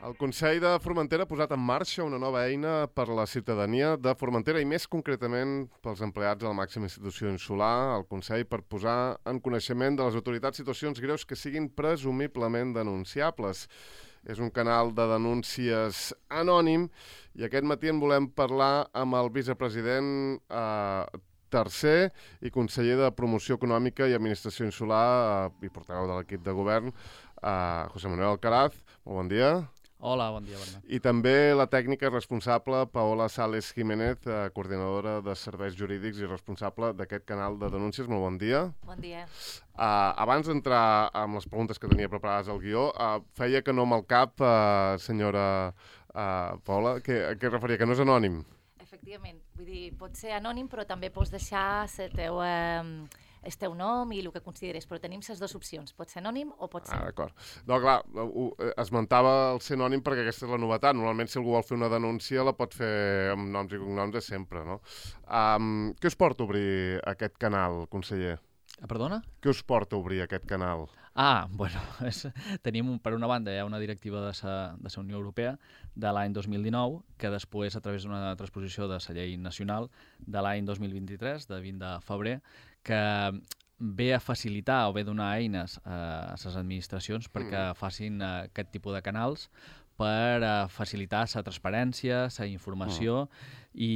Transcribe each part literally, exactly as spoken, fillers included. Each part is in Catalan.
El Consell de Formentera ha posat en marxa una nova eina per a la ciutadania de Formentera i més concretament pels empleats de la màxima institució insular, el Consell, per posar en coneixement de les autoritats situacions greus que siguin presumiblement denunciables. És un canal de denúncies anònim i aquest matí en volem parlar amb el vicepresident eh, tercer i conseller de Promoció Econòmica i Administració Insular eh, i portaveu de l'equip de govern, eh, José Manuel Alcaraz. Molt bon dia. Hola, bon dia, Bernat. I també la tècnica responsable, Paola Sales Jiménez, eh, coordinadora de serveis jurídics i responsable d'aquest canal de denúncies. Molt bon dia. Bon dia. Uh, abans d'entrar amb les preguntes que tenia preparades al guió, uh, feia que no amb el cap, uh, senyora uh, Paola, que, que referia que no és anònim. Efectivament, vull dir, pot ser anònim, però també pots deixar el teu, eh, el teu nom i el que consideres, però tenim les dues opcions, pot ser anònim o pot ser... Ah, d'acord. No, clar, ho, esmentava el ser anònim perquè aquesta és la novetat. Normalment, si algú vol fer una denúncia, la pot fer amb noms i cognoms de sempre, no? Um, què us porta a obrir aquest canal, conseller? Ah, perdona? Què us porta a obrir aquest canal? Ah, bueno, és, tenim, per una banda, hi ha una directiva de la de la Unió Europea de l'any dos mil dinou, que després, a través d'una transposició de la llei nacional de l'any dos mil vint-i-tres, de vint de febrer, que ve a facilitar o ve a donar eines a les administracions perquè mm. facin uh, aquest tipus de canals per uh, facilitar la transparència, la informació, mm. i,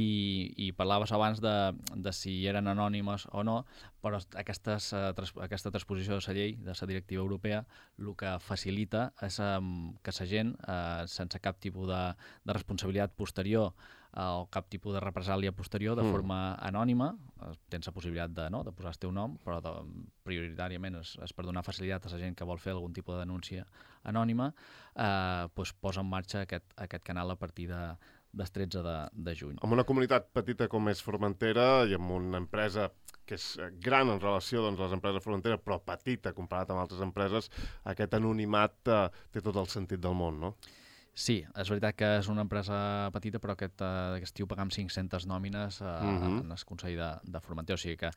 i parlaves abans de, de si eren anònimes o no, però aquestes, uh, tras, aquesta transposició de la llei, de la directiva europea, el que facilita és um, que la gent, uh, sense cap tipus de, de responsabilitat posterior uh, o cap tipus de represàlia posterior, de mm. forma anònima, uh, tens la possibilitat de, no, de posar el teu nom, però de, prioritàriament és, és per donar facilitat a la gent que vol fer algun tipus de denúncia anònima, eh, doncs posa en marxa aquest, aquest canal a partir de, del tretze de, de juny. En una comunitat petita com és Formentera i amb una empresa que és gran en relació doncs, a les empreses de Formentera, però petita comparat amb altres empreses, aquest anonimat eh, té tot el sentit del món, no? Sí, és veritat que és una empresa petita, però aquest, eh, aquest estiu pagam cinc-centes nòmines eh, uh-huh. en el Consell de, de Formentera, o sigui que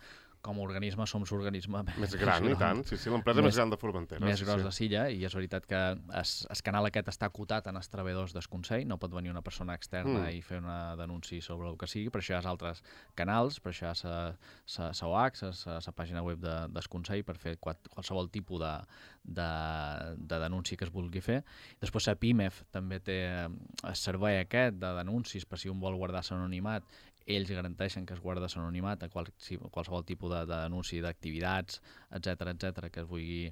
com a organisme som l'organisme més gran, i tant. Sí, sí, l'empresa més, més gran de Formentera. Més sí, gros sí. de Silla, i és veritat que es, el canal aquest està acotat en els treballadors del Consell, no pot venir una persona externa mm. i fer una denúncia sobre el que sigui, per això hi ha altres canals, per això hi ha la O H, la pàgina web de, del Consell, per fer qualsevol tipus de, de, de denúncia que es vulgui fer. Després la PIMEF també té el servei aquest de denúncies per si un vol guardar l'anonimat. Ells garanteixen que es guarda l'anonimat a qual, qualsevol tipus de, de denúncia d'activitats, etcètera, etcètera, que es vulgui,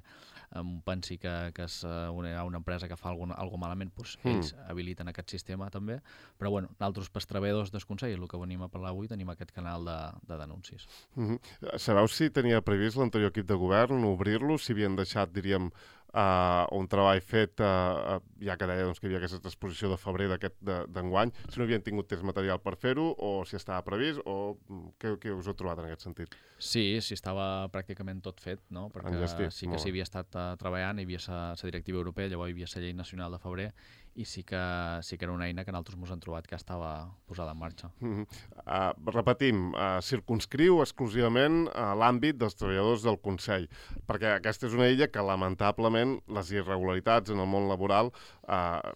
um, pensi que, que és una, una empresa que fa alguna, alguna malament, doncs mm. ells habiliten aquest sistema també. Però bueno, nosaltres, pels treballadors del Consell, el que venim a parlar avui, tenim aquest canal de, de denúncies. Mm-hmm. Sabeu si tenia previst l'anterior equip de govern obrir-lo, si havien deixat, diríem, Uh, un treball fet, uh, uh, ja que deia doncs, que hi havia aquesta exposició de febrer d'enguany, de, si no havien tingut temps material per fer-ho, o si estava previst, o què, què us heu trobat en aquest sentit? Sí, sí, estava pràcticament tot fet, no? Perquè Enllestit, sí que s'hi havia estat uh, treballant, hi havia la directiva europea, llavors hi havia la llei nacional de febrer, i sí que, sí que era una eina que nosaltres ens hem trobat que estava posada en marxa. Mm-hmm. uh, repetim, uh, circunscriu exclusivament a uh, l'àmbit dels treballadors del Consell, perquè aquesta és una illa que lamentablement les irregularitats en el món laboral eh,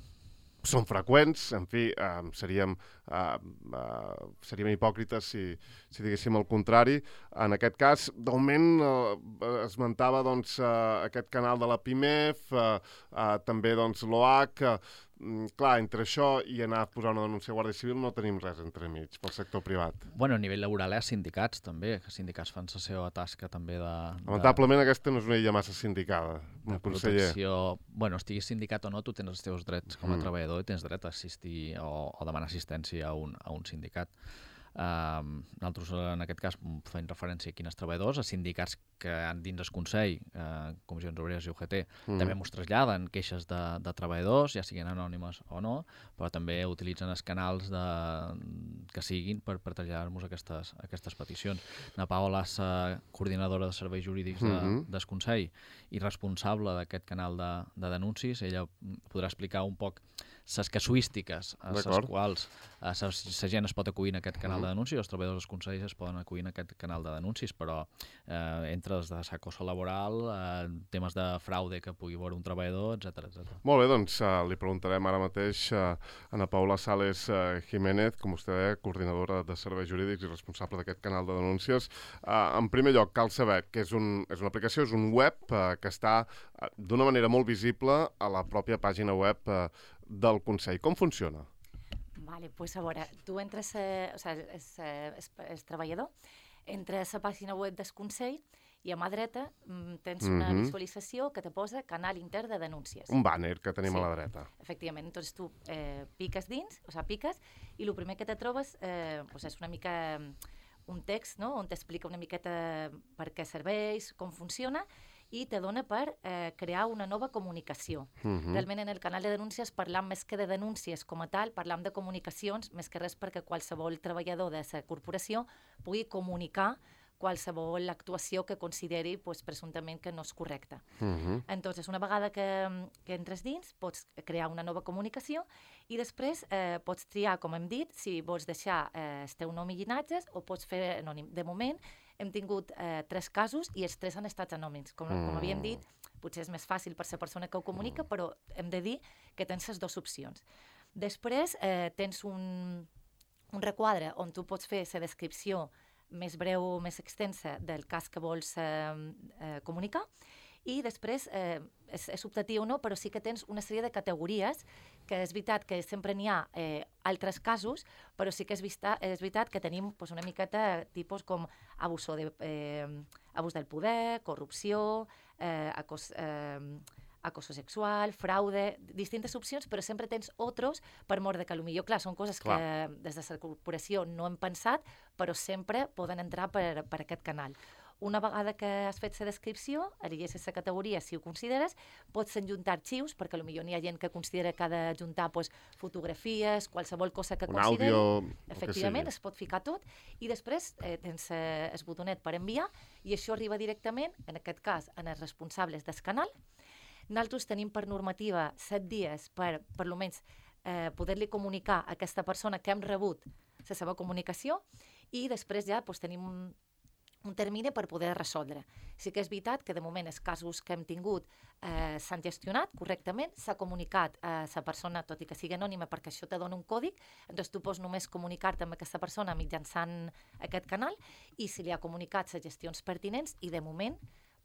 són freqüents, en fi, eh, seríem, eh, eh, seríem hipòcrites si, si diguéssim el contrari. En aquest cas, d'augment, eh, esmentava doncs, eh, aquest canal de la PIMEF, eh, eh, també doncs, l'O H, eh, clar, entre això i anar a posar una denúncia a Guàrdia Civil no tenim res entremig pel sector privat. Bueno, a nivell laboral hi ha sindicats també, que els sindicats fan la seva tasca també de... Lamentablement de... aquesta no és una illa massa sindicada, un conseller. Protecció... Bueno, estiguis sindicat o no, tu tens els teus drets com a mm. treballador i tens dret a assistir o, o demanar assistència a un, a un sindicat. Uh, nosaltres en aquest cas fem referència a quines treballadors, a sindicats que han dins el Consell, uh, Comissions Obreres i U G T, mm. també ens traslladen queixes de, de treballadors, ja siguin anònimes o no, però també utilitzen els canals de, que siguin per, per traslladar-nos aquestes, aquestes peticions. Na Paola és uh, coordinadora de serveis jurídics de, mm-hmm. del Consell i responsable d'aquest canal de, de denúncies. Ella podrà explicar un poc les casuístiques a les quals la gent es pot acollir en aquest canal de denúncies, els treballadors dels consells es poden acollir en aquest canal de denúncies, però eh, entre els de acoso laboral, eh, temes de fraude que pugui veure un treballador, etcètera, etcètera. Molt bé, doncs uh, li preguntarem ara mateix a uh, Ana Paula Sales uh, Jiménez, com vostè deia, coordinadora de serveis jurídics i responsable d'aquest canal de denúncies. Uh, en primer lloc, cal saber que és, un, és una aplicació, és un web uh, que està uh, d'una manera molt visible a la pròpia pàgina web uh, del Consell. Com funciona? Vale, pues a veure, tu entres, eh, o sigui, és, és, és treballador, entres a la pàgina web del Consell i a mà dreta tens una mm-hmm. visualització que te posa canal intern de denúncies. Un banner que tenim sí, a la dreta. Efectivament. Entonces tu eh, piques dins, o sigui, piques, i el primer que te trobes eh, pues és una mica un text, no?, on t'explica una miqueta per què serveix, com funciona, i te dona per eh, crear una nova comunicació. Mm-hmm. Realment en el canal de denúncies parlam més que de denúncies com a tal, parlam de comunicacions, més que res perquè qualsevol treballador de la corporació pugui comunicar qualsevol actuació que consideri pues, presumptament que no és correcta. Uh-huh. Entonces, una vegada que, que entres dins, pots crear una nova comunicació i després eh, pots triar, com hem dit, si vols deixar eh, el teu nom i llinatges o pots fer anònim. De moment, hem tingut eh, tres casos i els tres han estat anònims. Com, mm. com havíem dit, potser és més fàcil per la persona que ho comunica, però hem de dir que tens les dues opcions. Després, eh, tens un, un requadre on tu pots fer la descripció més breu o més extensa del cas que vols eh, eh, comunicar i després eh, és, és optatiu o no, però sí que tens una sèrie de categories que és veritat que sempre n'hi ha eh, altres casos, però sí que és, vista, és veritat que tenim pues, una miqueta tipus com abús, de, eh, abús del poder, corrupció, eh, acos, eh, acoso sexual, fraude, distintes opcions, però sempre tens otros per mort de que potser, clar, són coses clar. que des de la corporació no hem pensat, però sempre poden entrar per, per aquest canal. Una vegada que has fet la descripció, elegeixes la categoria si ho consideres, pots enjuntar arxius, perquè potser n'hi ha gent que considera que ha d'ajuntar pues, fotografies, qualsevol cosa que un consideri. Àudio, efectivament, es pot ficar tot, i després eh, tens eh, el botonet per enviar, i això arriba directament, en aquest cas, en els responsables del canal. Nosaltres tenim per normativa set dies per, per almenys, eh, poder-li comunicar a aquesta persona que hem rebut la seva comunicació i després ja doncs, tenim un, un termini per poder resoldre. Sí que és veritat que de moment els casos que hem tingut eh, s'han gestionat correctament, s'ha comunicat a la persona, tot i que sigui anònima, perquè això te dona un còdic, doncs tu pots només comunicar-te amb aquesta persona mitjançant aquest canal i si li ha comunicat les gestions pertinents i de moment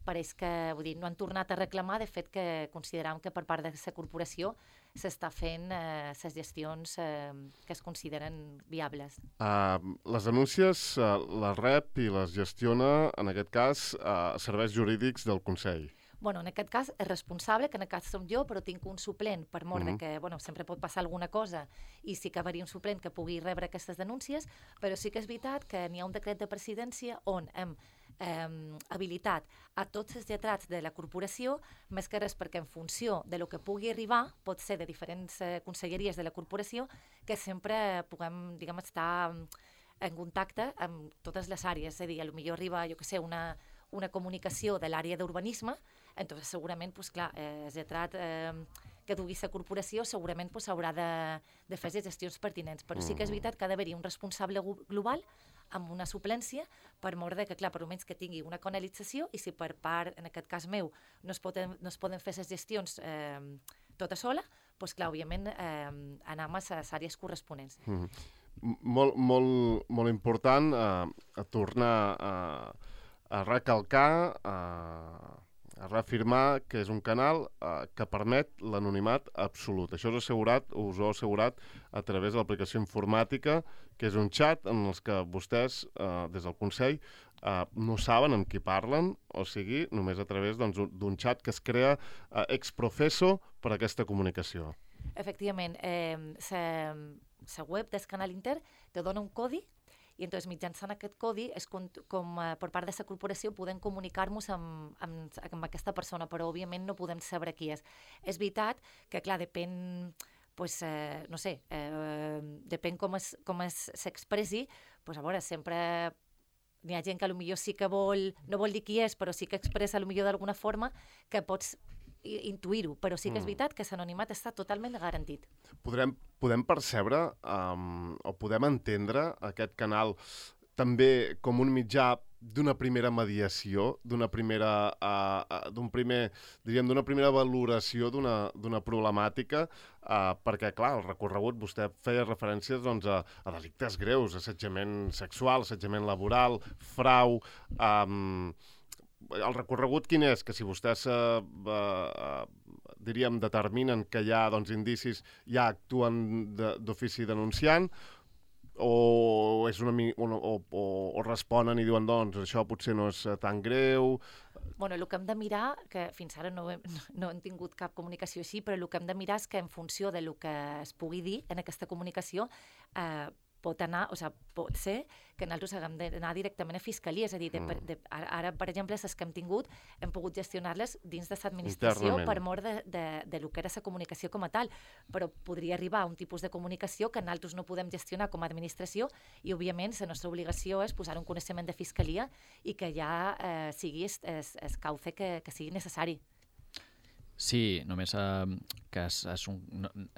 pareix que vull dir, no han tornat a reclamar, de fet que consideram que per part de la corporació s'està fent eh, les gestions eh, que es consideren viables. Uh, les denúncies uh, les rep i les gestiona, en aquest cas, uh, serveis jurídics del Consell. Bueno, en aquest cas és responsable, que en aquest cas som jo, però tinc un suplent per mort mm-hmm. de que bueno, sempre pot passar alguna cosa i sí que haveria un suplent que pugui rebre aquestes denúncies, però sí que és veritat que n'hi ha un decret de presidència on hem eh, habilitat a tots els lletrats de la corporació, més que res perquè en funció de lo que pugui arribar, pot ser de diferents eh, conselleries de la corporació, que sempre puguem, diguem, estar en contacte amb totes les àrees, és a dir, potser arriba, jo que sé, una, una comunicació de l'àrea d'urbanisme, entonces segurament, pues, clar, eh, el lletrat eh, que dugui la corporació segurament pues, haurà de, de fer les gestions pertinents, però sí que és veritat que ha d'haver-hi un responsable global amb una suplència per mort de que, clar, per almenys que tingui una canalització i si per part, en aquest cas meu, no es poden, no es poden fer les gestions eh, tota sola, doncs, clar, òbviament, eh, anar a les àrees corresponents. Mm-hmm. Molt, molt, molt important eh, a tornar a, a recalcar, a, a reafirmar que és un canal eh, que permet l'anonimat absolut. Això és assegurat, us ho he assegurat a través de l'aplicació informàtica, que és un xat en els que vostès, eh, des del Consell, eh, no saben amb qui parlen, o sigui, només a través doncs, d'un xat que es crea eh, ex professo per a aquesta comunicació. Efectivament, eh, la web del canal intern te dona un codi i entonces, mitjançant aquest codi és com, com eh, per part de la corporació podem comunicar-nos amb, amb, amb aquesta persona, però òbviament no podem saber qui és. És veritat que, clar, depèn, pues, eh, no sé, eh, depèn com es, com es, s'expressi, pues, a veure, sempre n'hi ha gent que potser sí que vol, no vol dir qui és, però sí que expressa potser d'alguna forma que pots intuir-ho, però sí que és veritat que l'anonimat està totalment garantit. Podrem, podem percebre um, o podem entendre aquest canal també com un mitjà d'una primera mediació, d'una primera, uh, uh, d'un primer, diríem, d'una primera valoració d'una d'una problemàtica, uh, perquè, clar, el recorregut, vostè feia referències doncs, a, a delictes greus, assetjament sexual, assetjament laboral, frau... Um, el recorregut quin és? Que si vostès, uh, uh, diríem, determinen que hi ha doncs, indicis, ja actuen d'ofici denunciant, o és una o, o, o, o responen i diuen doncs això potser no és tan greu. Bueno, el que hem de mirar, que fins ara no hem, no hem tingut cap comunicació així, però el que hem de mirar és que en funció de lo que es pugui dir en aquesta comunicació eh, pot anar, o sigui, pot ser que nosaltres haguem d'anar directament a Fiscalia, és a dir, de, mm. de, ara, per exemple, les que hem tingut, hem pogut gestionar-les dins de l'administració per mort de, de, de lo que era la comunicació com a tal, però podria arribar a un tipus de comunicació que nosaltres no podem gestionar com a administració i, òbviament, la nostra obligació és posar un coneixement de Fiscalia i que ja eh, sigui el cauce que, que sigui necessari. Sí, només eh, que és, és, un,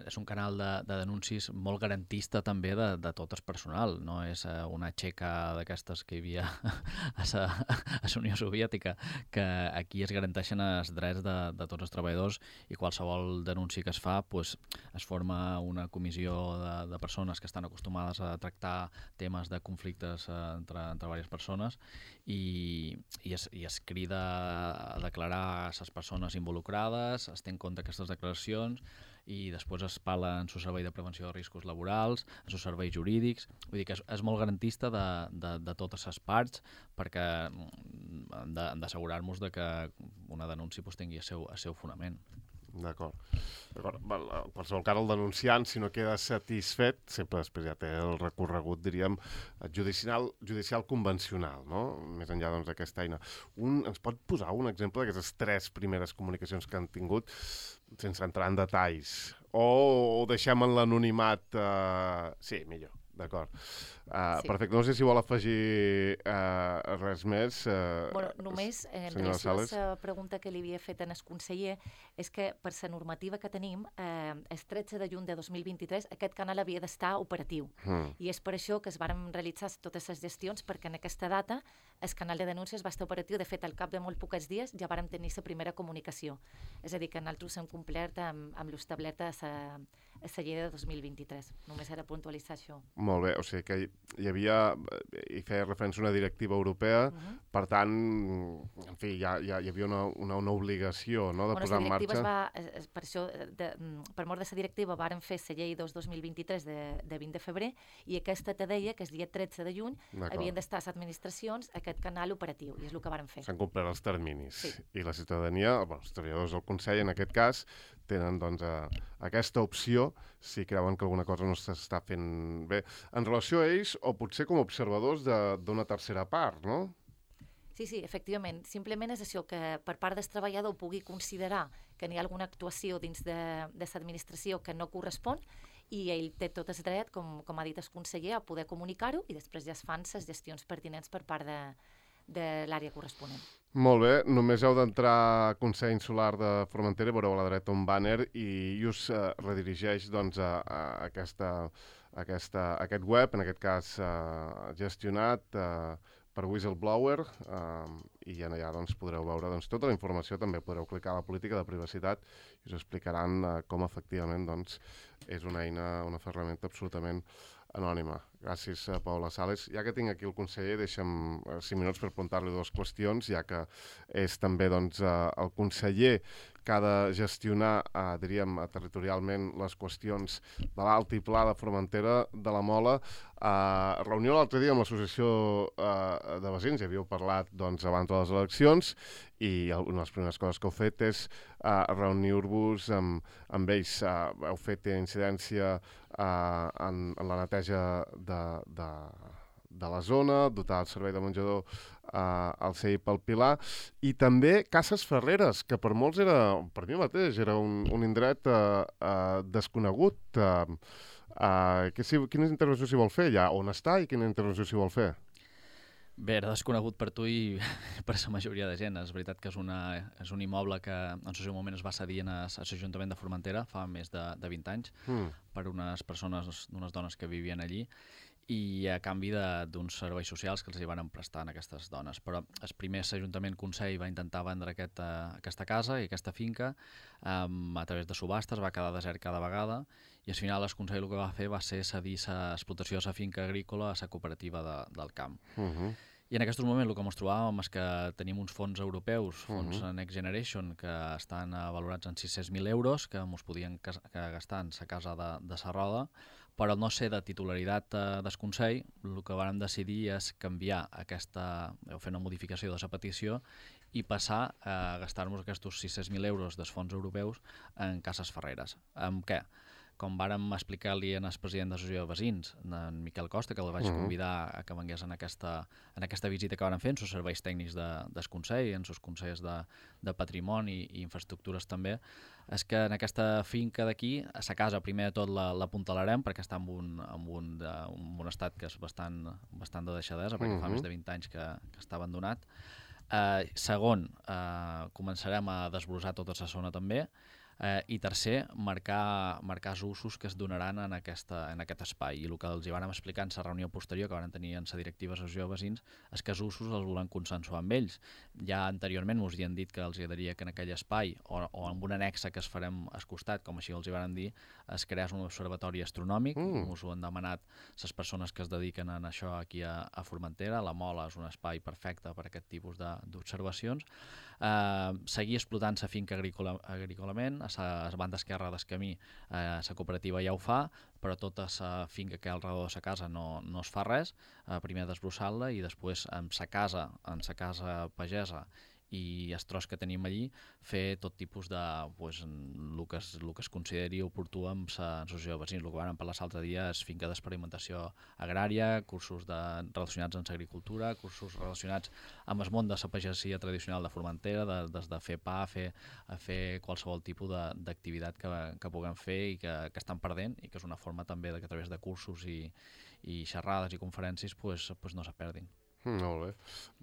és un canal de, de denuncis molt garantista també de, de tot el personal, no és eh, una xeca d'aquestes que hi havia a la Unió Soviètica, que aquí es garanteixen els drets de, de tots els treballadors i qualsevol denunci que es fa pues, es forma una comissió de, de persones que estan acostumades a tractar temes de conflictes eh, entre, entre diverses persones i, i, es, i es crida a declarar les persones involucrades, es té en compte aquestes declaracions i després es parla en el servei de prevenció de riscos laborals, en els serveis jurídics, vull dir que és, és molt garantista de, de, de totes les parts perquè hem d'assegurar-nos de que una denúncia pues, tingui el seu, el seu fonament. D'acord. D'acord. En qualsevol cas, el denunciant, si no queda satisfet, sempre després ja té el recorregut, diríem, judicial, judicial convencional, no? Més enllà doncs, d'aquesta eina. Un, ens pot posar un exemple d'aquestes tres primeres comunicacions que han tingut, sense entrar en detalls? O, o deixem en l'anonimat... Uh... Sí, millor. D'acord. Uh, sí. Perfecte. No sé si vol afegir uh, res més. Uh, bueno, només, en relació a la pregunta que li havia fet en el conseller, és que per la normativa que tenim, eh, el tretze de juny de dos mil vint-i-tres, aquest canal havia d'estar operatiu. Mm. I és per això que es van realitzar totes les gestions, perquè en aquesta data el canal de denúncies va estar operatiu. De fet, al cap de molt pocs dies ja vàrem tenir la primera comunicació. És a dir, que nosaltres hem complert amb, amb l'establert a la llei de dos mil vint-i-tres. Només era puntualitzar això. Molt bé, o sigui que hi havia, hi feia referència a una directiva europea, uh-huh. Per tant, en fi, ja, ja hi havia una, una, una obligació, no?, de bueno, posar en marxa. Va, es, per això, de, per mort de la directiva, varen fer la llei dos dos mil vint-i-tres de, de vint de febrer i aquesta te deia que el dia tretze de juny havien d'estar les administracions aquest canal operatiu, i és el que varen fer. S'han complert els terminis. Sí. I la ciutadania, bueno, els treballadors del Consell, en aquest cas, tenen doncs, a, aquesta opció si creuen que alguna cosa no s'està fent bé. En relació a ells, o potser com a observadors d'una tercera part, no? Sí, sí, efectivament. Simplement és això, que per part del treballador pugui considerar que n'hi ha alguna actuació dins de, de l'administració que no correspon i ell té tot el dret, com, com ha dit el conseller, a poder comunicar-ho i després ja es fan les gestions pertinents per part de, de l'àrea corresponent. Molt bé, només heu d'entrar a Consell Insular de Formentera, veureu a la dreta un banner i us uh, redirigeix doncs, a, a, aquesta, a aquesta, a aquest web, en aquest cas uh, gestionat uh, per Whistleblower, uh, i allà doncs, podreu veure doncs, tota la informació, també podreu clicar a la política de privacitat i us explicaran uh, com efectivament doncs, és una eina, una ferramenta absolutament anònima. Gràcies, Paula Sales. Ja que tinc aquí el conseller, deixa'm cinc minuts per preguntar-li dues qüestions, ja que és també doncs, el conseller que ha de gestionar, eh, diríem, territorialment les qüestions de l'Alt i Pla de Formentera, de la Mola. Eh, reunió l'altre dia amb l'associació eh, de veïns, ja havíeu parlat doncs, abans de les eleccions, i una de les primeres coses que heu fet és eh, reunir-vos amb, amb ells. Eh, heu fet incidència eh, en, en la neteja de, de, de la zona, dotar el servei de menjador eh, al C I pel Pilar, i també Cases Ferreres, que per molts era, per mi mateix, era un, un indret eh, eh, desconegut. Eh, eh, que si, quina intervenció s'hi vol fer allà? On està i quina intervenció s'hi vol fer? Bé, era desconegut per tu i per la majoria de gent. És veritat que és, una, és un immoble que en el seu moment es va cedir a l'Ajuntament de Formentera fa més de, de vint anys mm. per unes persones, unes dones que vivien allí i a canvi d'uns serveis socials que els hi van prestar a aquestes dones. Però el primer Ajuntament Consell va intentar vendre aquest, uh, aquesta casa i aquesta finca um, a través de subhastes, va quedar desert cada vegada i al final el Consell el que va fer va ser cedir l'explotació de la finca agrícola a la cooperativa de, del camp. Uh -huh. I en aquest moment el que ens trobàvem és que tenim uns fons europeus, fons uh -huh. Next Generation, que estan valorats en sis-cents mil euros, que ens podien que gastar en la casa de, de la Roda, però al no ser de titularitat eh, del Consell, el que vam decidir és canviar aquesta, o fer una modificació de la petició i passar a gastar-nos aquests sis-cents mil euros dels fons europeus en cases ferreres. Amb què? Com vàrem explicar-li al president de l'Associació de Veïns, en Miquel Costa, que el vaig convidar a que vengués en aquesta, en aquesta visita que van fer, en els serveis tècnics de, del Consell, en els consells de, de patrimoni i infraestructures també, és que en aquesta finca d'aquí, a la casa primer de tot l'apuntalarem perquè està en un, en un, de, en un estat que és bastant, bastant de deixadesa, perquè uh -huh. fa més de vint anys que, que està abandonat. Eh, segon, eh, començarem a desbrossar tota la zona també. Eh, I tercer, marcar, marcar els usos que es donaran en, aquesta, en aquest espai. I el que els hi vàrem explicar en la reunió posterior que van tenir en la directiva de l'Associació de Veïns és que els usos els volem consensuar amb ells. Ja anteriorment ens havien dit que els agradaria que en aquell espai o, o en una anexa que es farem al costat, com així els hi vàrem dir, es creés un observatori astronòmic. Mm. Us ho han demanat les persones que es dediquen a això aquí a, a Formentera. La Mola és un espai perfecte per a aquest tipus d'observacions. Eh, seguir explotant la finca agrícola, agrícolament. A la banda esquerra del camí eh, la cooperativa ja ho fa, però tota la finca que hi ha al redor de la casa no, no es fa res. Eh, primer desbrossar-la i després en la casa, en la casa pagesa i el tros que tenim allí, fer tot tipus de, pues, el, que es, el que es consideri oportú amb l'associació de veïns. El que vam parlar l'altre dia és finca d'experimentació agrària, cursos de, relacionats amb l'agricultura, cursos relacionats amb el món de la pagesia tradicional de Formentera, de, des de fer pa, a fer, a fer qualsevol tipus d'activitat que, que puguem fer i que, que estan perdent i que és una forma també de que a través de cursos i, i xerrades i conferències pues, pues no se perdin. Mm, molt bé.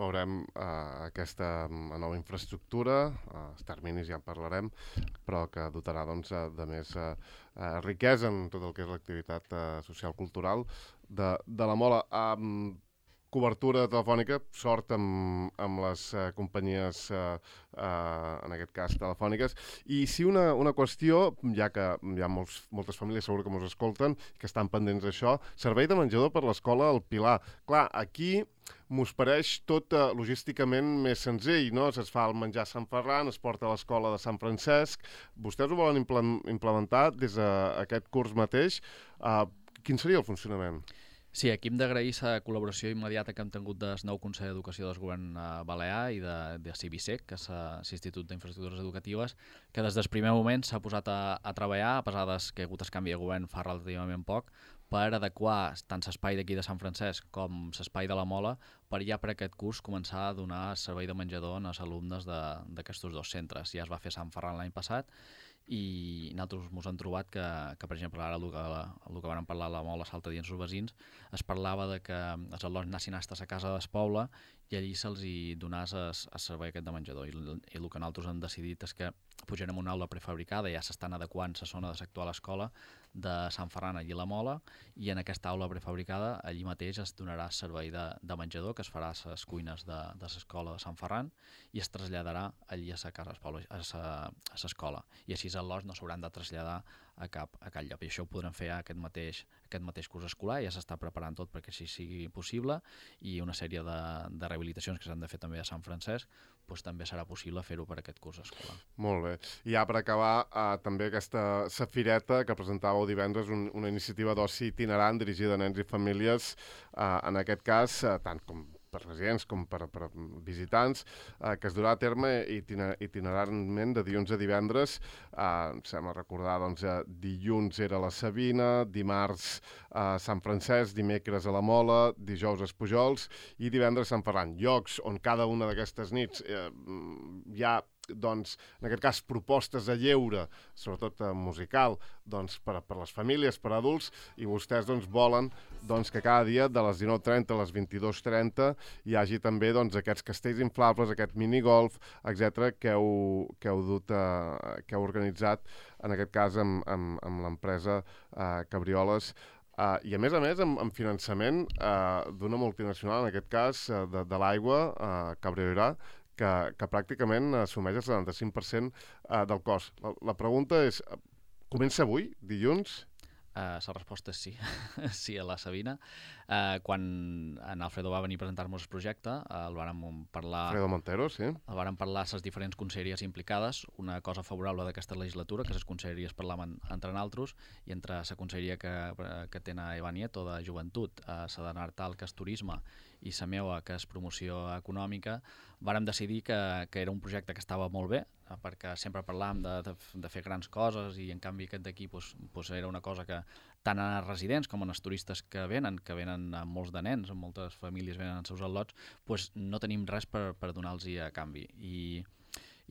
Veurem uh, aquesta nova infraestructura, uh, els terminis ja en parlarem, però que dotarà doncs, de més uh, uh, riquesa en tot el que és l'activitat uh, social-cultural de, de la Mola. Um, cobertura telefònica, sort amb, amb les uh, companyies, uh, uh, en aquest cas telefòniques. I sí una, una qüestió, ja que hi ha molts, moltes famílies segur que ens escolten, que estan pendents d'això, servei de menjador per l'escola al Pilar. Clar, aquí m'us pareix tot uh, logísticament més senzill, no? Es fa el menjar a Sant Ferran, es porta a l'escola de Sant Francesc. Vostès ho volen implementar des d'aquest curs mateix. Uh, quin seria el funcionament? Sí, aquí hem d'agrair la col·laboració immediata que hem tingut del nou Consell d'Educació del Govern Balear i de, de CIVISEC, que és l'Institut d'Infraestructures Educatives, que des del primer moment s'ha posat a, a treballar, a pesar que ha hagut el canvi de govern fa relativament poc, per adequar tant l'espai d'aquí de Sant Francesc com l'espai de la Mola per ja per aquest curs començar a donar servei de menjador als alumnes d'aquests dos centres. Ja es va fer a Sant Ferran l'any passat i nosaltres ens hem trobat que, que per exemple, ara el que, el que vam parlar a la Mola l'altre dia amb els veïns, es parlava de que els alumnes anessin a la casa del poble i allí se'ls hi donàs el, el servei aquest de menjador. I, I el que nosaltres hem decidit és que pujarem una aula prefabricada, ja s'estan adequant la zona de l'actual escola de Sant Ferran allí a la Mola, i en aquesta aula prefabricada allí mateix es donarà servei de, de menjador que es farà a les cuines de, de l'escola de Sant Ferran i es traslladarà allí a la casa a l'escola. I així els alumnes no s'hauran de traslladar a cap, a cap lloc. I això ho podrem fer aquest mateix, aquest mateix curs escolar, ja s'està preparant tot perquè així sigui possible i una sèrie de, de rehabilitacions que s'han de fer també a Sant Francesc, doncs també serà possible fer-ho per aquest curs escolar. Molt bé. I ja per acabar, eh, també aquesta Safireta que presentàveu divendres, un, una iniciativa d'oci itinerant dirigida a nens i famílies, eh, en aquest cas, eh, tant com per residents com per, per visitants, eh, que es durà a terme itinerantment de dilluns a divendres. Eh, em sembla recordar, doncs, eh, dilluns era la Sabina, dimarts a Sant Francesc, dimecres a la Mola, dijous a Espujols i divendres a Sant Ferran. Llocs on cada una d'aquestes nits eh, hi ha doncs, en aquest cas, propostes a lleure, sobretot eh, musical, doncs, per, per les famílies, per adults, i vostès doncs, volen doncs, que cada dia de les dinou trenta a les vint-i-dos trenta hi hagi també doncs, aquests castells inflables, aquest minigolf, etcètera, que heu, que heu dut, eh, que heu organitzat, en aquest cas, amb, amb, amb l'empresa eh, Cabrioles, Uh, i a més a més amb, amb finançament uh, d'una multinacional, en aquest cas uh, de, de l'aigua, uh, Cabrioirà, que, que pràcticament assumeix el setanta-cinc per cent uh, del cost. La, la pregunta és, uh, comença avui, dilluns? Uh, la resposta és sí, sí a la Sabina. Uh, quan en Alfredo va venir a presentar-nos el projecte, uh, el vàrem parlar... Alfredo Montero, sí. El vàrem parlar a les diferents conselleries implicades. Una cosa favorable d'aquesta legislatura, que les conselleries parlaven entre naltros, i entre la conselleria que, que tenen a Eva Nieto, de Joventut, a la de Nartal, que és Turisme, i la meva, que és Promoció Econòmica, vàrem decidir que, que era un projecte que estava molt bé, perquè sempre parlàvem de, de, de fer grans coses, i en canvi aquest d'aquí pues, pues era una cosa que tant en els residents com en els turistes que venen, que venen amb molts de nens, amb moltes famílies venen als seus al·lots, pues no tenim res per, per donar-los a canvi. I,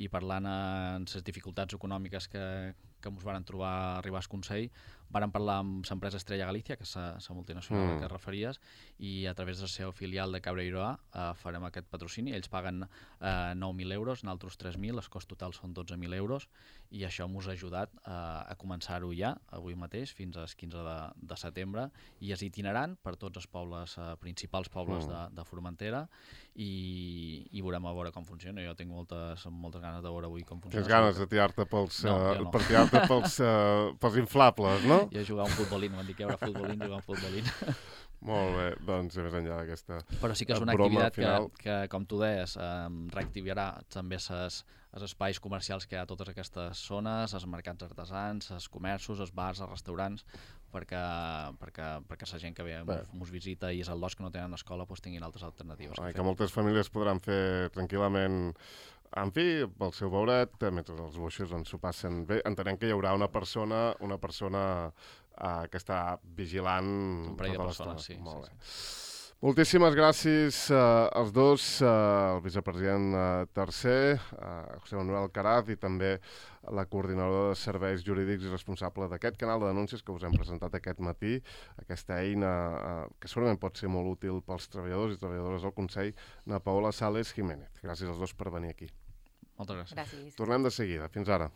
i parlant en les dificultats econòmiques que, que ens van trobar a arribar al Consell, vàrem parlar amb l'empresa Estrella Galícia, que és la multinacional mm. que referies, i a través del seu filial de Cabrioirà eh, farem aquest patrocini. Ells paguen eh, nou mil euros, nosaltres tres mil, els cost total són dotze mil euros, i això ens ha ajudat eh, a començar-ho ja, avui mateix, fins al quinze de, de setembre, i és itinerant per tots els pobles, eh, principals pobles mm. de, de Formentera, i, i veurem a veure com funciona. Jo tinc moltes, moltes ganes de veure avui com funciona. Tens ganes de tirar-te pels, no, uh, no. per tirar-te pels, uh, pels inflables, no? Jo jugar un futbolín, m'han dit que hi haurà futbolín, jugar un futbolín. Molt bé, doncs més enllà d'aquesta Però sí que és una activitat que, que, com tu deies, eh, reactivarà també ses, els espais comercials que hi ha a totes aquestes zones, els mercats artesans, els comerços, els bars, els restaurants, perquè, perquè, perquè la gent que ve ens visita i és el los que no tenen escola doncs tinguin altres alternatives. Ai, que, que moltes famílies podran fer tranquil·lament, en fi, pel seu beuret, mentre els boixos doncs, s'ho passen bé. Entenem que hi haurà una persona, una persona uh, que està vigilant un parell de tota persones, l'estona. sí. Molt sí, bé. sí. Moltíssimes gràcies uh, als dos, uh, el vicepresident uh, tercer, uh, José Manuel Caraz, i també la coordinadora de serveis jurídics i responsable d'aquest canal de denúncies que us hem presentat aquest matí, aquesta eina uh, que segurament pot ser molt útil pels treballadors i treballadores del Consell, na Paola Sales Jiménez. Gràcies als dos per venir aquí. Moltes gràcies. Gràcies. Tornem de seguida. Fins ara.